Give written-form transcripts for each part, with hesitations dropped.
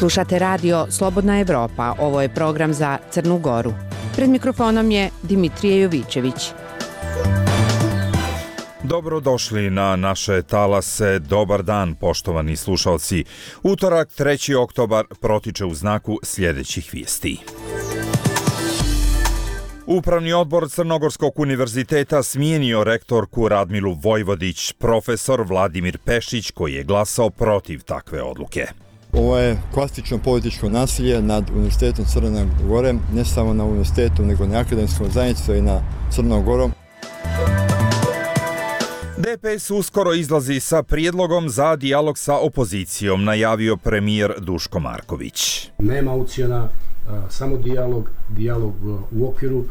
Slušate radio Slobodna Evropa, ovo je program za Crnu Goru. Pred mikrofonom je Dimitrije Jovićević. Dobrodošli na naše talase, dobar dan poštovani slušalci. Utorak 3. oktobar protiče u znaku sljedećih vijesti. Upravni odbor Crnogorskog univerziteta smijenio rektorku Radmilu Vojvodić, profesor Vladimir Pešić koji je glasao protiv takve odluke. Ovo je klasično političko nasilje nad Univerzitetom Crne Gore, ne samo na univerzitetu, nego na akademskom zajednicu i na Crnom Gorom. DPS uskoro izlazi sa prijedlogom za dijalog sa opozicijom, najavio premijer Duško Marković. Nema ucjena, samo dijalog u okviru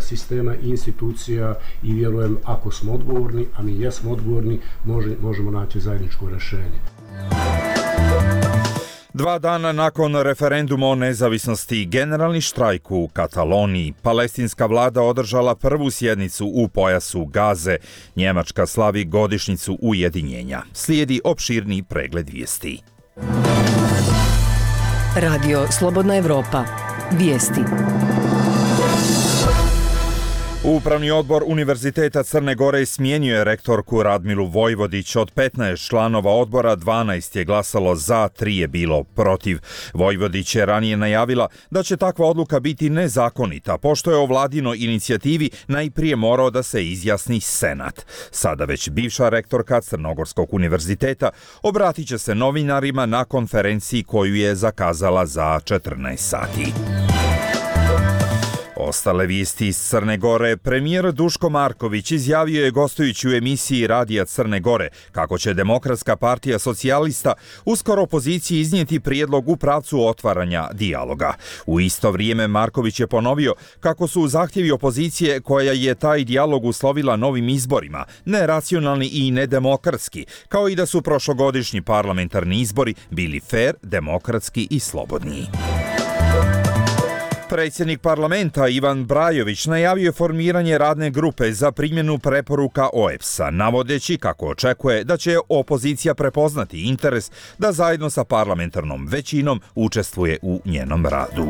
sistema i institucija i vjerujem ako smo odgovorni, a mi jesmo odgovorni, možemo naći zajedničko rješenje. 2 dana nakon referenduma o nezavisnosti, generalni štrajk u Kataloniji, palestinska vlada održala prvu sjednicu u pojasu Gaze. Njemačka slavi godišnjicu ujedinjenja. Slijedi opširni pregled vijesti. Radio Slobodna Evropa. Vijesti. Upravni odbor Univerziteta Crne Gore smijenio je rektorku Radmilu Vojvodić. Od 15 članova odbora 12 je glasalo za, 3 je bilo protiv. Vojvodić je ranije najavila da će takva odluka biti nezakonita, pošto je o vladinoj inicijativi najprije morao da se izjasni Senat. Sada već bivša rektorka Crnogorskog univerziteta obratit će se novinarima na konferenciji koju je zakazala za 14 sati. Ostale vijesti iz Crne Gore. Premijer Duško Marković izjavio je gostujući u emisiji Radija Crne Gore kako će Demokratska partija socijalista uskoro opoziciji iznijeti prijedlog u pravcu otvaranja dijaloga. U isto vrijeme Marković je ponovio kako su zahtjevi opozicije koja je taj dijalog uslovila novim izborima neracionalni i nedemokratski, kao i da su prošlogodišnji parlamentarni izbori bili fer, demokratski i slobodni. Predsjednik parlamenta Ivan Brajović najavio je formiranje radne grupe za primjenu preporuka OEBS-a, navodeći kako očekuje da će opozicija prepoznati interes da zajedno sa parlamentarnom većinom učestvuje u njenom radu.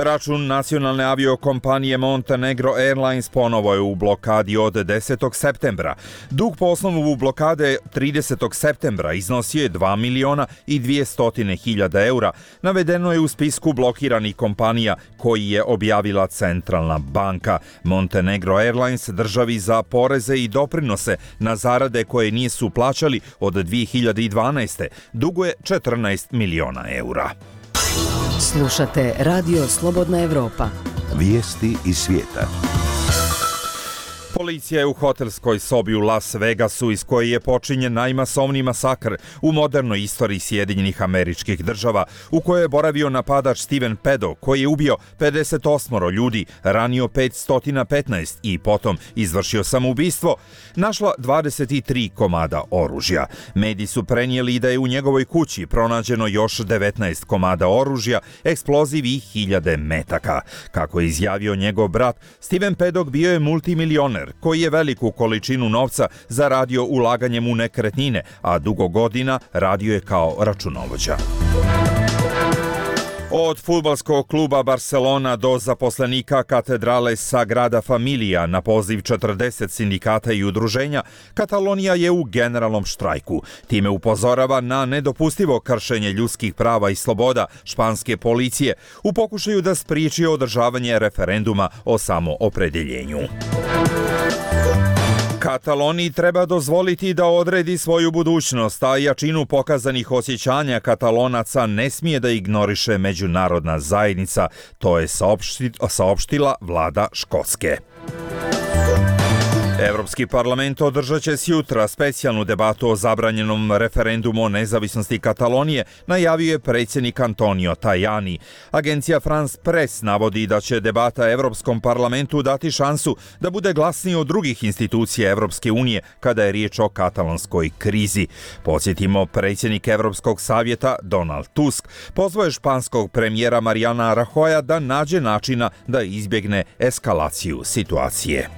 Račun nacionalne aviokompanije Montenegro Airlines ponovo je u blokadi od 10. septembra. Dug po osnovu blokade 30. septembra iznosio je 2.200.000 eura. Navedeno je u spisku blokiranih kompanija koji je objavila Centralna banka. Montenegro Airlines državi za poreze i doprinose na zarade koje nisu plaćali od 2012. duguje 14 miliona eura. Slušate Radio Slobodna Evropa. Vijesti iz svijeta. Policija je u hotelskoj sobi u Las Vegasu, iz koje je počinjen najmasovniji masakr u modernoj istoriji Sjedinjenih Američkih Država, u kojoj je boravio napadač Steven Paddock, koji je ubio 58 ljudi, ranio 515 i potom izvršio samoubistvo, našla 23 komada oružja. Mediji su prenijeli da je u njegovoj kući pronađeno još 19 komada oružja, eksploziv i 1000 metaka. Kako je izjavio njegov brat, Steven Paddock bio je multimilioner koji je veliku količinu novca zaradio ulaganjem u nekretnine, a dugo godina radio je kao računovođa. Od fudbalskog kluba Barcelona do zaposlenika katedrale Sagrada Familia na poziv 40 sindikata i udruženja, Katalonija je u generalnom štrajku. Time upozorava na nedopustivo kršenje ljudskih prava i sloboda španske policije u pokušaju da spriječi održavanje referenduma o samoopredjeljenju. Kataloniji treba dozvoliti da odredi svoju budućnost, a jačinu pokazanih osjećanja Katalonaca ne smije da ignoriše međunarodna zajednica, to je saopštila vlada Škotske. Evropski parlament održat će sjutra specijalnu debatu o zabranjenom referendumu o nezavisnosti Katalonije, najavio je predsjednik Antonio Tajani. Agencija France Press navodi da će debata Evropskom parlamentu dati šansu da bude glasniji od drugih institucija Evropske unije kada je riječ o katalonskoj krizi. Podsjetimo, predsjednik Evropskog savjeta Donald Tusk pozvao je španskog premijera Mariana Rajoya da nađe načina da izbjegne eskalaciju situacije.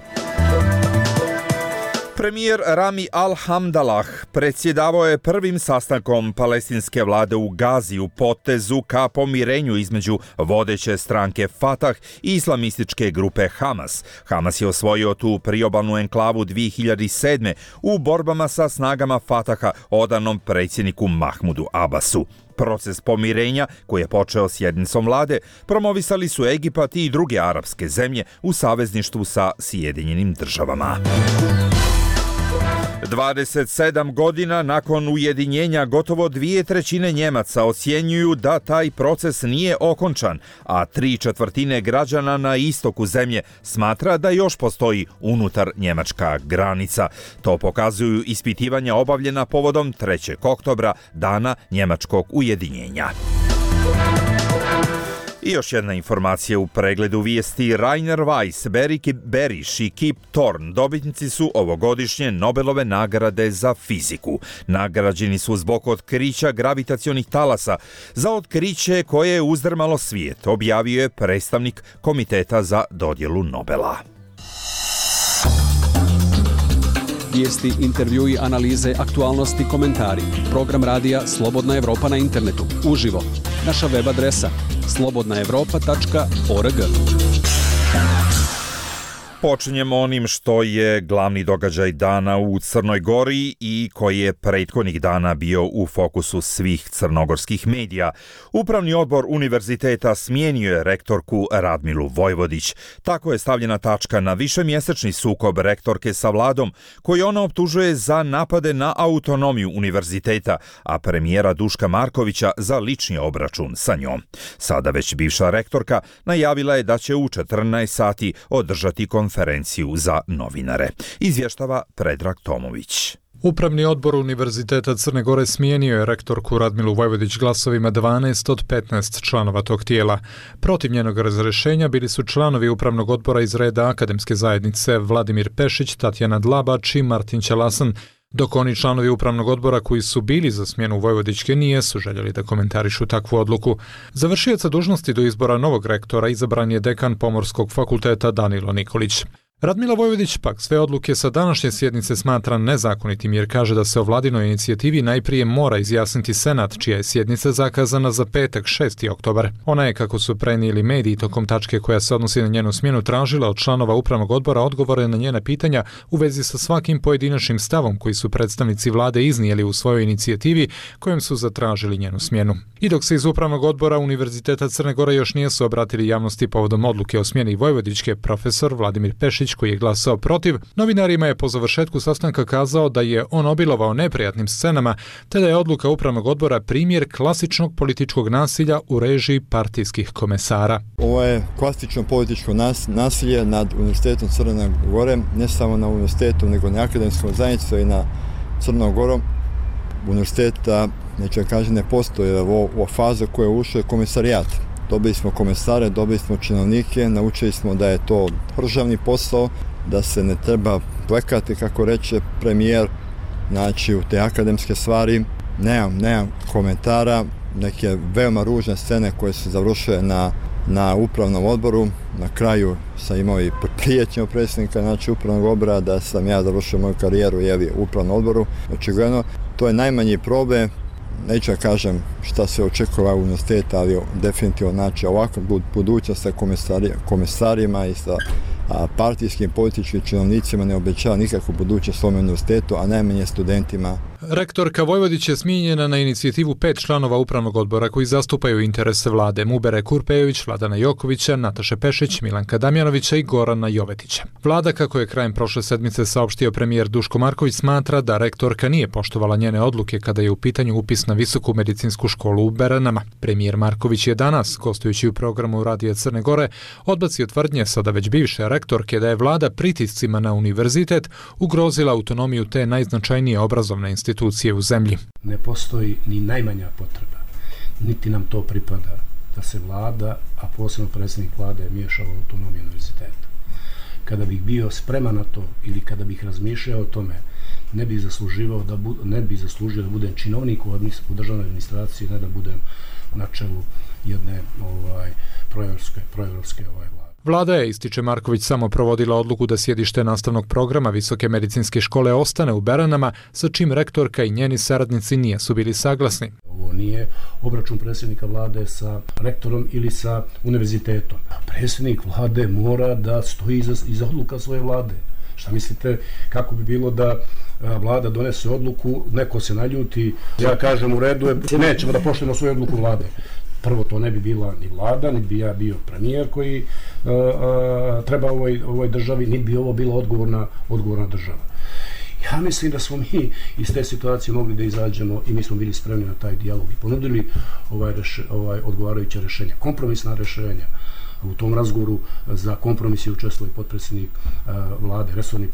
Premijer Rami Al-Hamdalah predsjedavao je prvim sastankom palestinske vlade u Gazi u potezu ka pomirenju između vodeće stranke Fatah i islamističke grupe Hamas. Hamas je osvojio tu priobalnu enklavu 2007. u borbama sa snagama Fataha odanom predsjedniku Mahmudu Abbasu. Proces pomirenja, koji je počeo sjednicom vlade, promovisali su Egipat i druge arapske zemlje u savezništvu sa Sjedinjenim državama. 27 godina nakon ujedinjenja gotovo 2/3 Njemaca ocjenjuju da taj proces nije okončan, a 3/4 građana na istoku zemlje smatra da još postoji unutar njemačka granica. To pokazuju ispitivanja obavljena povodom 3. oktobra, dana njemačkog ujedinjenja. I još jedna informacija u pregledu vijesti. Rainer Weiss, Berit Beriš i Kip Thorne dobitnici su ovogodišnje Nobelove nagrade za fiziku. Nagrađeni su zbog otkrića gravitacionih talasa za otkriće koje je uzdrmalo svijet, objavio je predstavnik Komiteta za dodjelu Nobela. Vijesti, intervjui, analize, aktualnosti, komentari. Program radija Slobodna Evropa na internetu. Uživo. Naša web adresa slobodnaevropa.org. Počinjemo onim što je glavni događaj dana u Crnoj Gori i koji je prethodnih dana bio u fokusu svih crnogorskih medija. Upravni odbor univerziteta smijenio je rektorku Radmilu Vojvodić. Tako je stavljena tačka na višemjesečni sukob rektorke sa vladom, koji ona optužuje za napade na autonomiju univerziteta, a premijera Duška Markovića za lični obračun sa njom. Sada već bivša rektorka najavila je da će u 14 sati održati konferenciju za novinare. Izvještava Predrag Tomović. Upravni odbor Univerziteta Crne Gore smijenio je rektorku Radmilu Vojvodić glasovima 12 od 15 članova tog tijela. Protiv njenog razrješenja bili su članovi upravnog odbora iz reda akademske zajednice Vladimir Pešić, Tatjana Dlabač i Martin Ćelasan, dok oni članovi upravnog odbora koji su bili za smjenu Vojvodićke nisu željeli da komentarišu takvu odluku. Za vršioca dužnosti do izbora novog rektora izabran je dekan Pomorskog fakulteta Danilo Nikolić. Radmila Vojvodić pak sve odluke sa današnje sjednice smatra nezakonitim jer kaže da se o vladinoj inicijativi najprije mora izjasniti Senat, čija je sjednica zakazana za petak 6. oktobar. Ona je, kako su prenijeli mediji tokom tačke koja se odnosi na njenu smjenu, tražila od članova upravnog odbora odgovore na njena pitanja u vezi sa svakim pojedinačnim stavom koji su predstavnici vlade iznijeli u svojoj inicijativi kojom su zatražili njenu smjenu. I dok se iz upravnog odbora Univerziteta Crne Gore još nisu obratili javnosti povodom odluke o smjeni Vojvodićke, profesor Vladimir Pešić, koji je glasao protiv, novinarima je po završetku sastanka kazao da je on obilovao neprijatnim scenama, te da je odluka upravnog odbora primjer klasičnog političkog nasilja u režiji partijskih komesara. Ovo je klasično političko nasilje nad Univerzitetom Crne Gore, ne samo na univerzitetu, nego na akademskom zajednicom i na Crnom Gorom. Univerziteta, neću kažem, ne postoji ova faza koja je ušla komisarijat. Dobili smo komesare, dobili smo činovnike, naučili smo da je to državni posao, da se ne treba plekati, kako reče premijer, znači u te akademske stvari. Nemam komentara, neke veoma ružne scene koje su završile na upravnom odboru. Na kraju sam imao i prijetnje predsjednika, znači upravnog odbora, da sam ja završio moju karijeru u upravnom odboru. Očigledno, to je najmanji problem. Neću kažem šta se očekuje u univerzitetu, ali definitivno znači ovakva budućnost sa komesarima i sa partijskim političkim činovnicima ne obećava nikakvu budućnost svom univerzitetu, a najmanje studentima. Rektorka Vojvodić je smijenjena na inicijativu 5 članova upravnog odbora koji zastupaju interese vlade: Mubere Kurpejović, Vladana Jokovića, Nataše Pešić, Milanka Damjanovića i Gorana Jovetića. Vlada, kako je krajem prošle sedmice saopštio premijer Duško Marković, smatra da rektorka nije poštovala njene odluke kada je u pitanju upis na Visoku medicinsku školu u Beranama. Premijer Marković je danas, gostujući u programu Radija Crne Gore, odbacio tvrdnje sada već bivše rektorke da je vlada pritiscima na univerzitet ugrozila autonomiju te najznačajnije obrazovne institucije u zemlji. Ne postoji ni najmanja potreba, niti nam to pripada, da se vlada, a posebno predsjednik vlade, miješa u autonomiju univerziteta. Kada bih bio spreman na to ili kada bih razmišljao o tome, ne bih zaslužio da budem činovnik u državnoj administraciji, ne da budem na čelu jedne proevropske vlade. Vlada je, ističe Marković, samo provodila odluku da sjedište nastavnog programa Visoke medicinske škole ostane u Beranama, sa čim rektorka i njeni saradnici nisu bili saglasni. Ovo nije obračun predsjednika vlade sa rektorom ili sa univerzitetom. Predsjednik vlade mora da stoji iza odluka svoje vlade. Šta mislite kako bi bilo da vlada donese odluku, neko se naljuti, ja kažem u redu je, nećemo da poštujemo svoju odluku vlade. Prvo, to ne bi bila ni vlada, ni bi ja bio premijer koji treba ovoj državi, ni bi ovo bila odgovorna država. Ja mislim da smo mi iz te situacije mogli da izađemo i mi smo bili spremni na taj dijalog i ponudili odgovarajuće rješenja, kompromisna rješenja. U tom razgovoru za kompromis je učestvovao i potpredsjednik vlade, resorni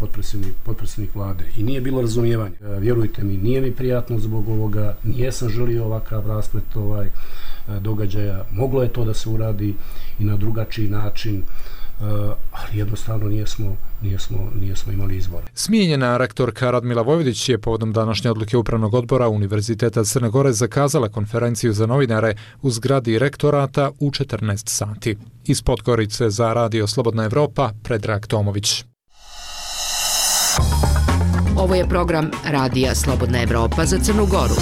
potpredsjednik vlade i nije bilo razumijevanja. Vjerujte mi, nije mi prijatno zbog ovoga, nijesam želio ovakav rasplet događaja, moglo je to da se uradi i na drugačiji način, ali jednostavno nijesmo imali izbor. Smijenjena rektorka Radmila Vojvodić je povodom današnje odluke Upravnog odbora Univerziteta Crne Gore zakazala konferenciju za novinare u zgradi rektorata u 14 sati. Iz Podgorice za Radio Slobodna Evropa, Predrag Tomović. Ovo je program Radija Slobodna Evropa za Crnu Goru.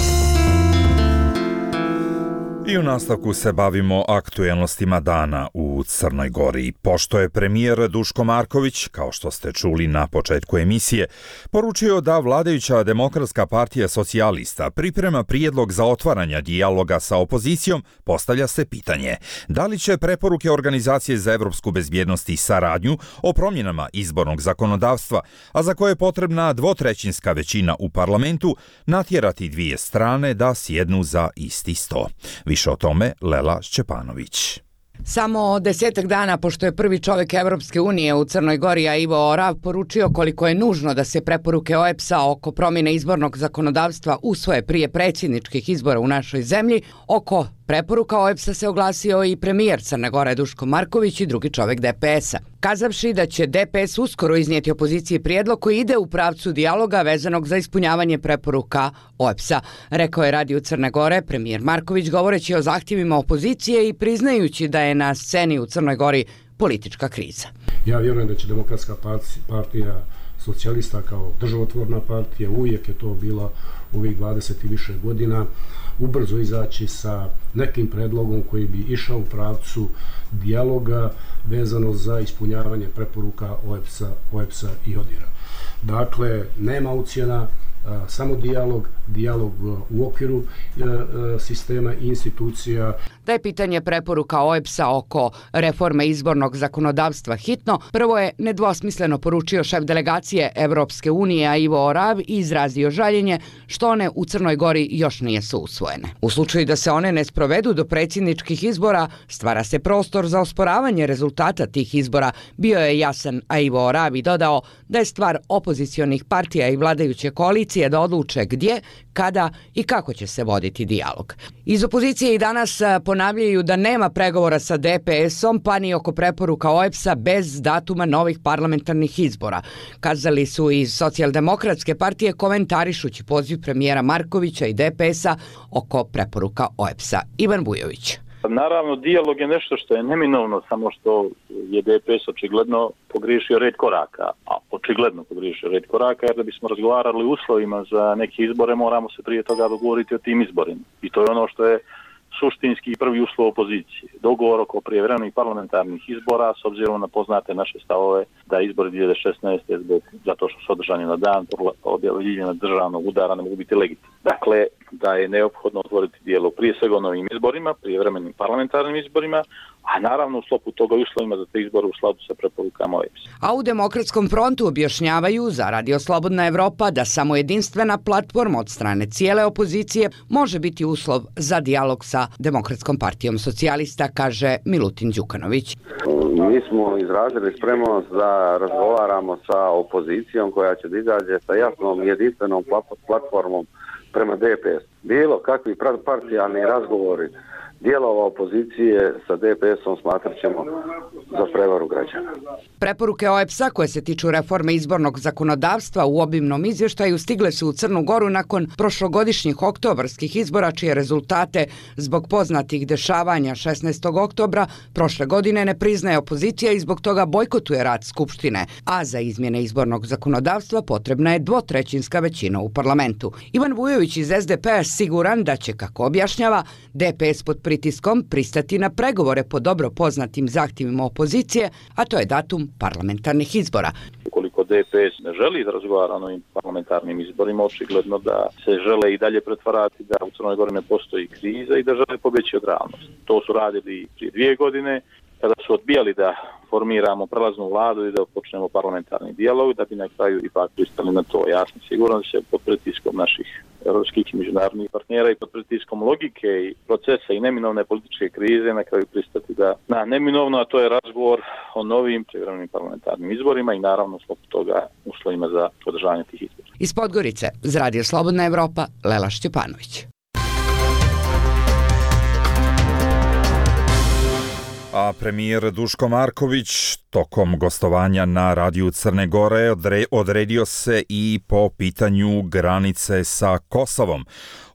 I u nastavku se bavimo aktuelnostima dana u Crnoj Gori. Pošto je premijer Duško Marković, kao što ste čuli na početku emisije, poručio da vladajuća Demokratska partija socijalista priprema prijedlog za otvaranja dijaloga sa opozicijom, postavlja se pitanje da li će preporuke Organizacije za evropsku bezbjednost i saradnju o promjenama izbornog zakonodavstva, a za koje je potrebna dvotrećinska većina u parlamentu, natjerati dvije strane da sjednu za isti sto. Više o tome Lela Šćepanović. Samo 10 dana pošto je prvi čovjek Evropske unije u Crnoj Gori, a Ivo Orav, poručio koliko je nužno da se preporuke OEBS-a oko promjene izbornog zakonodavstva usvoje prije predsjedničkih izbora u našoj zemlji, oko preporuka OEBS-a se oglasio i premijer Crne Gore Duško Marković i drugi čovjek DPS-a. Kazavši da će DPS uskoro iznijeti opoziciji prijedlog koji ide u pravcu dijaloga vezanog za ispunjavanje preporuka OEBS-a, rekao je Radio Crne Gore premijer Marković govoreći o zahtjevima opozicije i priznajući da je na sceni u Crnoj Gori politička kriza. Ja vjerujem da će Demokratska partija socijalista kao državotvorna partija, uvijek je to bila ovih 20 i više godina, ubrzo izaći sa nekim predlogom koji bi išao u pravcu dijaloga vezano za ispunjavanje preporuka OEBS-a i ODIHR-a. Dakle, nema ucjena, samo dijalog u okviru sistema i institucija. Da je pitanje preporuka OEBS-a oko reforme izbornog zakonodavstva hitno, prvo je nedvosmisleno poručio šef delegacije Evropske unije, a Ivo Orav, i izrazio žaljenje što one u Crnoj Gori još nisu usvojene. U slučaju da se one ne sprovedu do predsjedničkih izbora, stvara se prostor za osporavanje rezultata tih izbora, bio je jasan, a Ivo Orav i dodao da je stvar opozicionih partija i vladajuće koalicije da odluče gdje, kada i kako će se voditi dijalog. Iz opozicije i danas ponavljaju da nema pregovora sa DPS-om pa ni oko preporuka OEBS-a bez datuma novih parlamentarnih izbora. Kazali su iz Socijaldemokratske partije komentarišući poziv premijera Markovića i DPS-a oko preporuka OEBS-a. Ivan Bujović. Naravno, dijalog je nešto što je neminovno, samo što je DPS očigledno pogriješio red koraka, jer da bismo razgovarali o uslovima za neke izbore, moramo se prije toga dogovoriti o tim izborima. I to je ono što je suštinski prvi uslov opozicije. Dogovor oko prijevremenih parlamentarnih izbora, s obzirom na poznate naše stavove da izbori 2016. zato što su održani na dan objavljivanja državnog udara ne mogu biti legitimni. Dakle, da je neophodno otvoriti dijalog prije svega o novim izborima, prijevremenim parlamentarnim izborima, a naravno u sklopu toga uslovima za te izbore u skladu sa preporukama OEBS-a. A u Demokratskom frontu objašnjavaju za Radio Slobodna Evropa da samo jedinstvena platforma od strane cijele opozicije može biti uslov za dijalog sa Demokratskom partijom socijalista, kaže Milutin Đukanović. Mi smo izrazili spremnost da razgovaramo sa opozicijom koja će da izađe sa jasnom jedinstvenom platformom prema DPS. Bilo kakvi partijalni razgovori dijelova opozicije sa DPS-om smatrat ćemo za prevaru građana. Preporuke OEBS-a koje se tiču reforme izbornog zakonodavstva u obimnom izvještaju stigle su u Crnu Goru nakon prošlogodišnjih oktobarskih izbora, čije rezultate zbog poznatih dešavanja 16. oktobra prošle godine ne priznaje opozicija i zbog toga bojkotuje rad Skupštine, a za izmjene izbornog zakonodavstva potrebna je dvotrećinska većina u parlamentu. Ivan Vujović iz SDP-a siguran da će, kako objašnjava, DPS pod pritiskom pristati na pregovore po dobro poznatim zahtjevima opozicije, a to je datum parlamentarnih izbora. Ukoliko DPS ne želi da razgovara o novim parlamentarnim izborima, očigledno da se žele i dalje pretvarati da u Crnoj Gori ne postoji kriza i da žele pobjeći od realnosti. To su radili prije 2 godine, kada su odbijali da formiramo prelaznu vladu i da počnemo parlamentarni dijalog, da bi na kraju ipak pristali na to. Ja sam siguran da će pod pritiskom naših europskih i međunarodnih partnera i pod pritiskom logike i procesa i neminovne političke krize na kraju pristati na neminovno, a to je razgovor o novim privremenim parlamentarnim izborima i naravno zbog toga uslovima za održavanje tih izbora. Iz Podgorice, za Radio Slobodna Evropa, Lela Šćepanović. A premijer Duško Marković tokom gostovanja na Radiju Crne Gore odredio se i po pitanju granice sa Kosovom.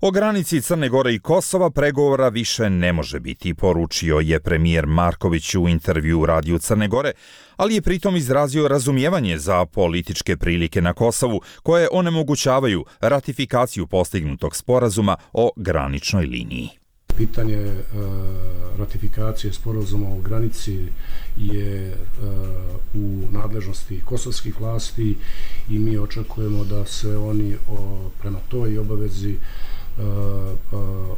O granici Crne Gore i Kosova pregovora više ne može biti, poručio je premijer Marković u intervju u Radiju Crne Gore, ali je pritom izrazio razumijevanje za političke prilike na Kosovu koje onemogućavaju ratifikaciju postignutog sporazuma o graničnoj liniji. Pitanje ratifikacije sporazuma o granici je u nadležnosti kosovskih vlasti i mi očekujemo da se oni prema toj obavezi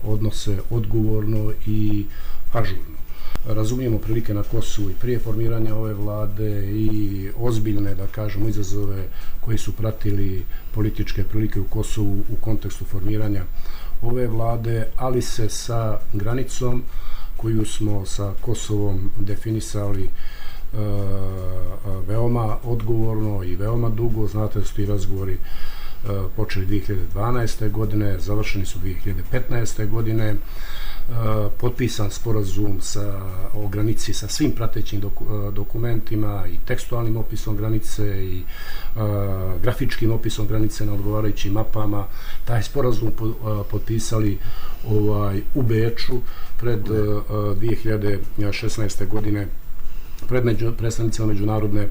odnose odgovorno i ažurno. Razumijemo prilike na Kosovu i prije formiranja ove vlade i ozbiljne, da kažemo, izazove koji su pratili političke prilike u Kosovu u kontekstu formiranja ove vlade, ali se sa granicom koju smo sa Kosovom definisali veoma odgovorno i veoma dugo. Znate da su ti razgovori počeli 2012. godine, završeni su 2015. godine, potpisan sporazum o granici sa svim pratećim dokumentima i tekstualnim opisom granice i grafičkim opisom granice na odgovarajućim mapama. Taj sporazum potpisali u Beču pred 2016. godine pred predstavnicima međunarodne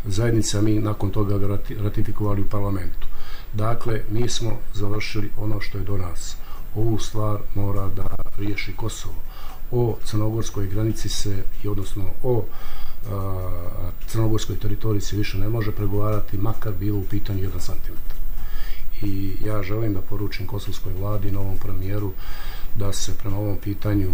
zajednice, a mi nakon toga ga ratifikovali u parlamentu. Dakle, mi smo završili ono što je do nas. Ovu stvar mora da riješi Kosovo. O crnogorskoj granici odnosno o crnogorskoj teritoriji se više ne može pregovarati, makar bilo u pitanju 1 centimetar. I ja želim da poručim kosovskoj vladi i novom premijeru da se prema ovom pitanju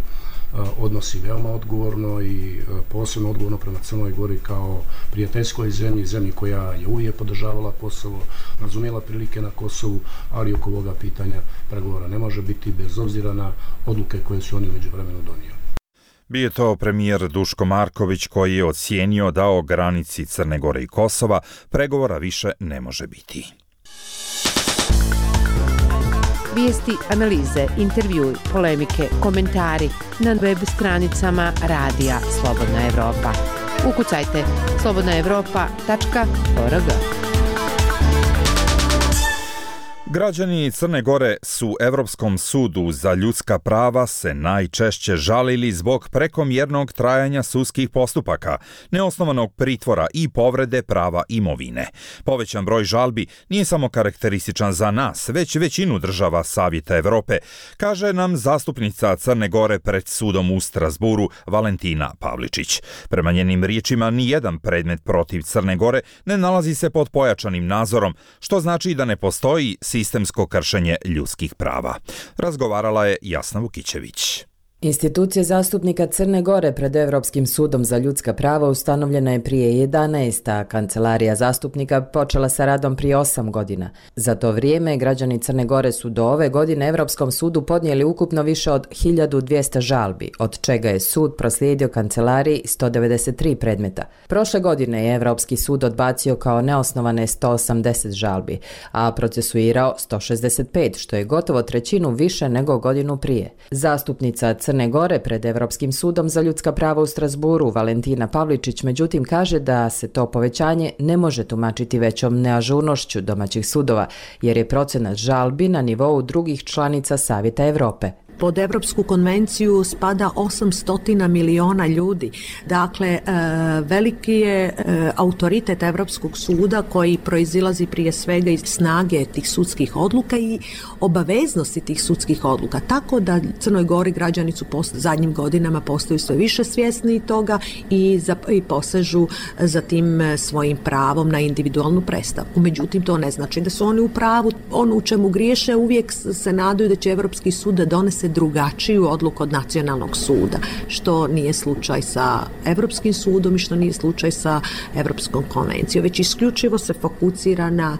odnosi veoma odgovorno i posebno odgovorno prema Crnoj Gori kao prijateljskoj zemlji koja je uvijek podržavala Kosovo, razumjela prilike na Kosovu, ali oko ovoga pitanja pregovora ne može biti bez obzira na odluke koje su oni u međuvremenu donijeli. Bio je to premijer Duško Marković koji je ocijenio da o granici Crne Gore i Kosova pregovora više ne može biti. Vijesti, analize, intervjui, polemike, komentari na web stranicama Radija Slobodna Evropa. Ukucajte slobodnaevropa.org. Građani Crne Gore su Evropskom sudu za ljudska prava se najčešće žalili zbog prekomjernog trajanja sudskih postupaka, neosnovanog pritvora i povrede prava imovine. Povećan broj žalbi nije samo karakterističan za nas, već većinu država Savjeta Evrope, kaže nam zastupnica Crne Gore pred sudom u Strasburu Valentina Pavličić. Prema njenim riječima, nijedan predmet protiv Crne Gore ne nalazi se pod pojačanim nadzorom, što znači da ne postoji sistemsko kršenje ljudskih prava. Razgovarala je Jasna Vukićević. Institucija zastupnika Crne Gore pred Evropskim sudom za ljudska prava ustanovljena je prije 11, a kancelarija zastupnika počela sa radom prije 8 godina. Za to vrijeme građani Crne Gore su do ove godine Evropskom sudu podnijeli ukupno više od 1200 žalbi, od čega je sud proslijedio kancelariji 193 predmeta. Prošle godine je Evropski sud odbacio kao neosnovane 180 žalbi, a procesuirao 165, što je gotovo trećinu više nego godinu prije. Zastupnica Crne Gore pred Evropskim sudom za ljudska prava u Strasburu Valentina Pavličić međutim kaže da se to povećanje ne može tumačiti većom neažurnošću domaćih sudova jer je procenat žalbi na nivou drugih članica Savjeta Evrope. Pod Evropsku konvenciju spada 800 miliona ljudi. Dakle, veliki je autoritet Evropskog suda koji proizilazi prije svega iz snage tih sudskih odluka i obaveznosti tih sudskih odluka. Tako da Crnoj Gori građani su zadnjim godinama postaju sve više svjesni toga i posežu za tim svojim pravom na individualnu predstavku. Međutim, to ne znači da su oni u pravu. Ono u čemu griješe, uvijek se nadaju da će Evropski sud da donese drugačiju odluku od nacionalnog suda, što nije slučaj sa Evropskim sudom i što nije slučaj sa Evropskom konvencijom, već isključivo se fokusira na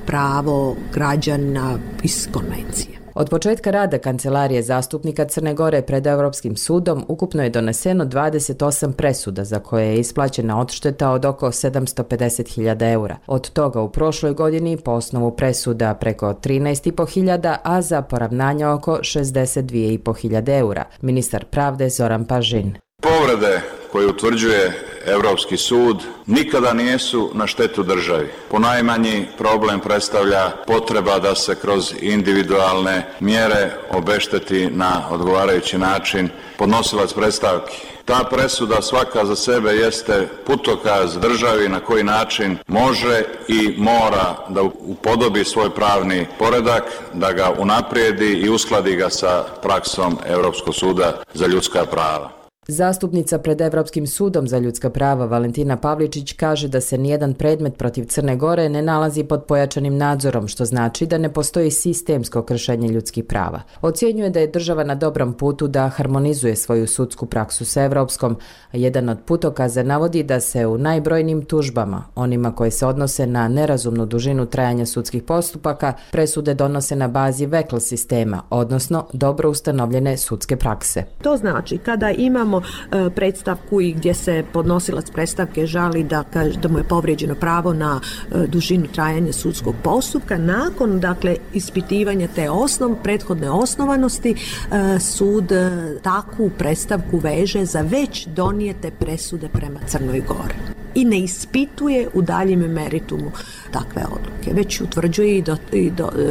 pravo građana iz konvencije. Od početka rada Kancelarije zastupnika Crne Gore pred Evropskim sudom ukupno je doneseno 28 presuda za koje je isplaćena odšteta od oko 750.000 eura. Od toga u prošloj godini po osnovu presuda preko 13.500, a za poravnanja oko 62.500 eura. Ministar pravde Zoran Pažin. Povrede koje utvrđuje Europski sud nikada nisu na štetu državi. Ponajmanji problem predstavlja potreba da se kroz individualne mjere obešteti na odgovarajući način podnosilac predstavki. Ta presuda svaka za sebe jeste putokaz državi na koji način može i mora da upodobi svoj pravni poredak, da ga unaprijedi i uskladi ga sa praksom Europskog suda za ljudska prava. Zastupnica pred Evropskim sudom za ljudska prava Valentina Pavličić kaže da se nijedan predmet protiv Crne Gore ne nalazi pod pojačanim nadzorom, što znači da ne postoji sistemsko kršenje ljudskih prava. Ocjenjuje da je država na dobrom putu da harmonizuje svoju sudsku praksu sa evropskom, a jedan od putokaza navodi da se u najbrojnijim tužbama, onima koje se odnose na nerazumnu dužinu trajanja sudskih postupaka, presude donose na bazi VEKL sistema, odnosno dobro ustanovljene sudske prakse. To znači kada imamo predstavku i gdje se podnosilac predstavke žali da mu je povrijeđeno pravo na dužinu trajanja sudskog postupka, nakon ispitivanja te prethodne osnovanosti sud takvu predstavku veže za već donijete presude prema Crnoj Gori i ne ispituje u daljem meritumu takve odluke, već utvrđuje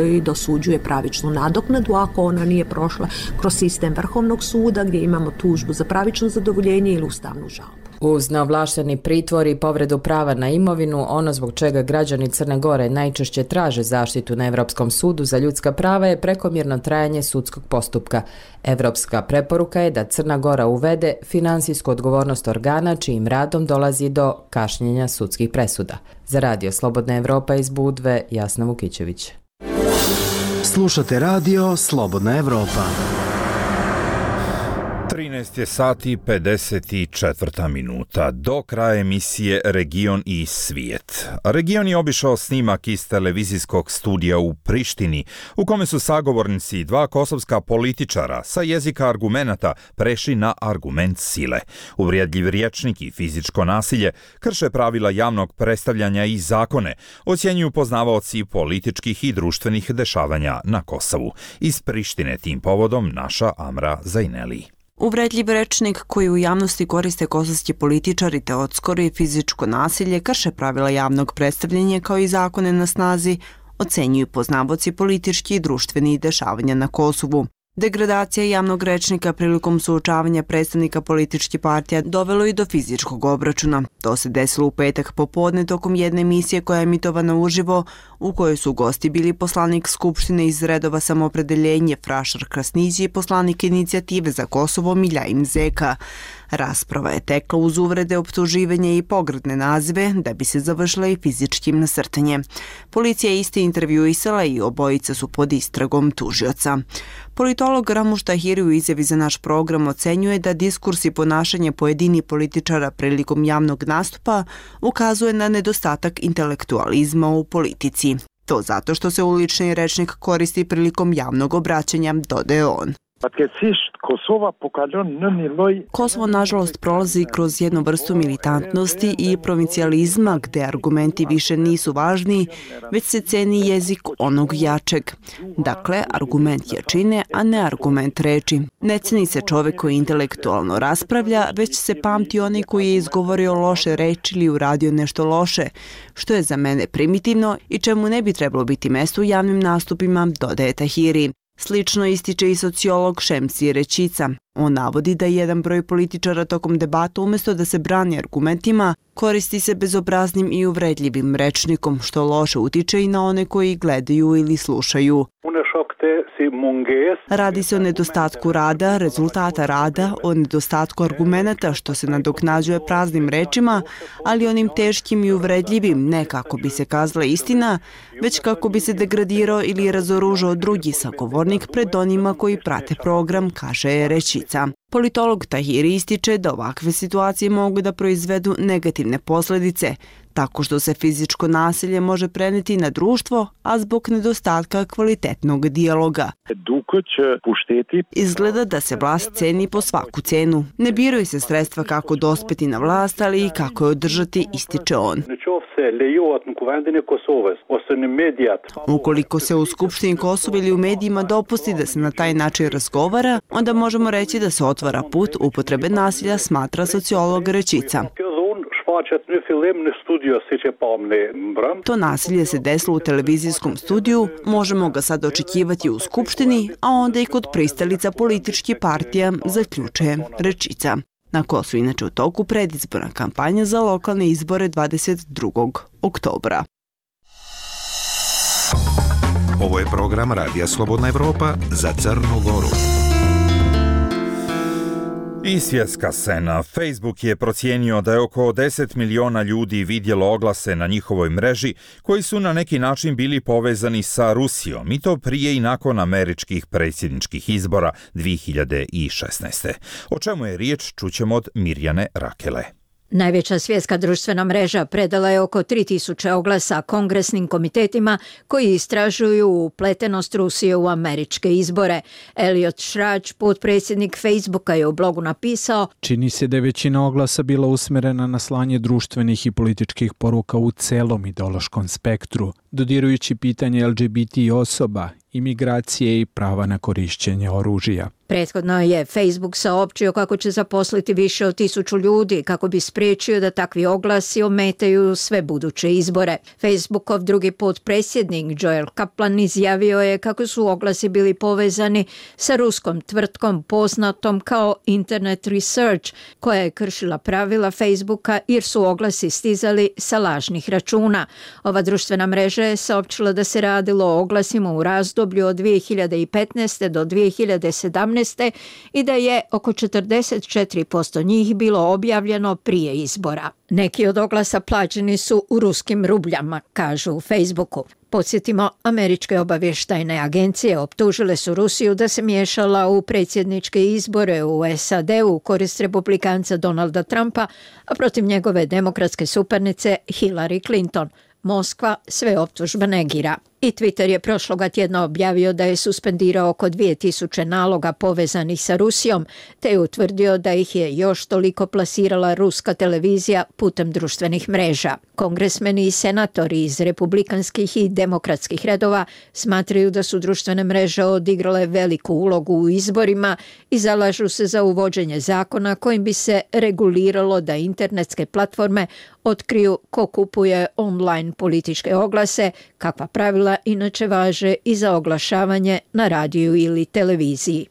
i dosuđuje pravičnu nadoknadu ako ona nije prošla kroz sistem Vrhovnog suda gdje imamo tužbu za pravično zadovoljenje ili ustavnu žalbu. Uz neovlašteni pritvor i povredu prava na imovinu, ono zbog čega građani Crne Gore najčešće traže zaštitu na Evropskom sudu za ljudska prava je prekomjerno trajanje sudskog postupka. Evropska preporuka je da Crna Gora uvede finansijsku odgovornost organa čijim radom dolazi do kašnjenja sudskih presuda. Za Radio Slobodna Evropa iz Budve, Jasna Vukićević. Slušate Radio Slobodna Evropa. 13 je sati 54 minuta. Do kraja emisije Region i svijet. Region je obišao snimak iz televizijskog studija u Prištini, u kome su sagovornici dva kosovska političara sa jezika argumenata prešli na argument sile. Uvrijedljiv rječnik i fizičko nasilje krše pravila javnog predstavljanja i zakone, ocjenjuju poznavaoci političkih i društvenih dešavanja na Kosovu. Iz Prištine tim povodom naša Amra Zajneli. Uvredljiv rečnik koji u javnosti koriste kosovski političari te odskoro i fizičko nasilje krše pravila javnog predstavljanja kao i zakone na snazi, ocenjuju poznavaoci politički i društveni dešavanja na Kosovu. Degradacija javnog rečnika prilikom suočavanja predstavnika političkih partija dovelo i do fizičkog obračuna. To se desilo u petak popodne tokom jedne emisije koja je emitovana uživo, u kojoj su gosti bili poslanik Skupštine iz redova Samoopredeljenje Frašar Krasniđi i poslanik Inicijative za Kosovo Miljajin Zeka. Rasprava je tekla uz uvrede, optuživanje i pogrdne nazive da bi se završila i fizičkim nasrtanjem. Policija je isti intervjuisala i obojica su pod istragom tužioca. Politolog Ramuš Tahiri u izjavi za naš program ocenjuje da diskurs i ponašanje pojedini političara prilikom javnog nastupa ukazuje na nedostatak intelektualizma u politici. To zato što se ulični rečnik koristi prilikom javnog obraćanja, dodaje on. Pa kad si Kosovo nažalost prolazi kroz jednu vrstu militantnosti i provincijalizma gde argumenti više nisu važni, već se ceni jezik onog jačeg. Dakle, argument jačine, a ne argument reči. Ne ceni se čovek koji intelektualno raspravlja, već se pamti onaj koji je izgovorio loše reči ili uradio nešto loše, što je za mene primitivno i čemu ne bi trebalo biti mesto u javnim nastupima, dodaje Tahiri. Slično ističe i sociolog Šemsi Rečica. On navodi da jedan broj političara tokom debata umjesto da se brani argumentima, koristi se bezobraznim i uvredljivim rečnikom, što loše utiče i na one koji gledaju ili slušaju. Radi se o nedostatku rada, rezultata rada, o nedostatku argumenata što se nadoknađuje praznim rečima, ali onim teškim i uvredljivim ne kako bi se kazala istina, već kako bi se degradirao ili razoružao drugi sagovornik pred onima koji prate program, kaže Rečica. Politolog Tahiri ističe da ovakve situacije mogu da proizvedu negativne posljedice, tako što se fizičko nasilje može preneti na društvo, a zbog nedostatka kvalitetnog dijaloga. Izgleda da se vlast ceni po svaku cenu. Ne biraju se sredstva kako dospeti na vlast, ali i kako je održati, ističe on. Ukoliko se u Skupštini Kosova ili u medijima dopusti da se na taj način razgovara, onda možemo reći da se otvara put upotrebe nasilja, smatra sociolog Rečica. To nasilje se desilo u televizijskom studiju, možemo ga sad očekivati u Skupštini, a onda i kod pristalica političkih partija, zaključuje Rečica. Na Kosovu inače u toku predizborna kampanja za lokalne izbore 22. oktobra. Ovo je program Radija Slobodna Evropa za Crnu Goru. I svjetska scena. Facebook je procijenio da je oko 10 miliona ljudi vidjelo oglase na njihovoj mreži koji su na neki način bili povezani sa Rusijom, i to prije i nakon američkih predsjedničkih izbora 2016. O čemu je riječ, čućemo od Mirjane Rakele. Najveća svjetska društvena mreža predala je oko 3000 oglasa kongresnim komitetima koji istražuju upletenost Rusije u američke izbore. Elliot Šrač, potpredsjednik Facebooka, je u blogu napisao: čini se da je većina oglasa bila usmjerena na slanje društvenih i političkih poruka u celom ideološkom spektru, dodirujući pitanje LGBT osoba, imigracije i prava na korišćenje oružja. Prethodno je Facebook saopćio kako će zaposliti više od 1000 ljudi kako bi spriječio da takvi oglasi ometaju sve buduće izbore. Facebookov drugi potpredsjednik Joel Kaplan izjavio je kako su oglasi bili povezani sa ruskom tvrtkom poznatom kao Internet Research, koja je kršila pravila Facebooka jer su oglasi stizali sa lažnih računa. Ova društvena mreža je saopćila da se radilo o oglasima u razdoblju od 2015. do 2017. i da je oko 44% njih bilo objavljeno prije izbora. Neki od oglasa plaćeni su u ruskim rubljama, kažu u Facebooku. Podsjetimo, američke obavještajne agencije optužile su Rusiju da se miješala u predsjedničke izbore u SAD u korist republikanca Donalda Trumpa, a protiv njegove demokratske suparnice Hillary Clinton. Moskva sve optužbe negira. I Twitter je prošloga tjedna objavio da je suspendirao oko 2000 naloga povezanih sa Rusijom, te je utvrdio da ih je još toliko plasirala ruska televizija putem društvenih mreža. Kongresmeni i senatori iz republikanskih i demokratskih redova smatraju da su društvene mreže odigrale veliku ulogu u izborima i zalažu se za uvođenje zakona kojim bi se reguliralo da internetske platforme otkriju ko kupuje online političke oglase, kakva pravila inače važe i za oglašavanje na radiju ili televiziji.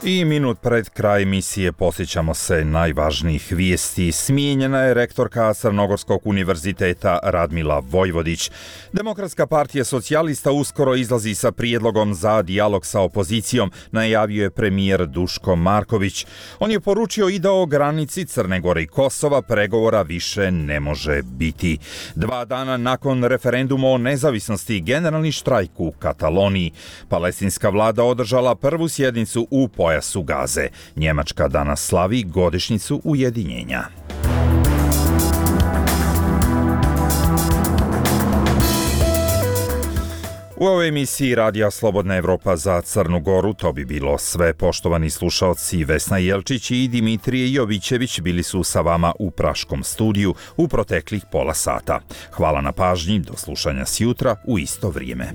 I minut pred kraj emisije posjećamo se najvažnijih vijesti. Smijenjena je rektorka Crnogorskog univerziteta Radmila Vojvodić. Demokratska partija socijalista uskoro izlazi sa prijedlogom za dijalog sa opozicijom, najavio je premijer Duško Marković. On je poručio i da o granici Crne Gore i Kosova pregovora više ne može biti. 2 dana nakon referenduma o nezavisnosti, generalni štrajk u Kataloniji. Palestinska vlada održala prvu sjednicu u pojasu Gaze. Njemačka danas slavi godišnjicu ujedinjenja. U ovoj emisiji Radija Slobodna Evropa za Crnu Goru to bi bilo sve. Poštovani slušaoci, Vesna Jelčić i Dimitrije Jovićević bili su sa vama u Praškom studiju u proteklih pola sata. Hvala na pažnji, do slušanja sjutra u isto vrijeme.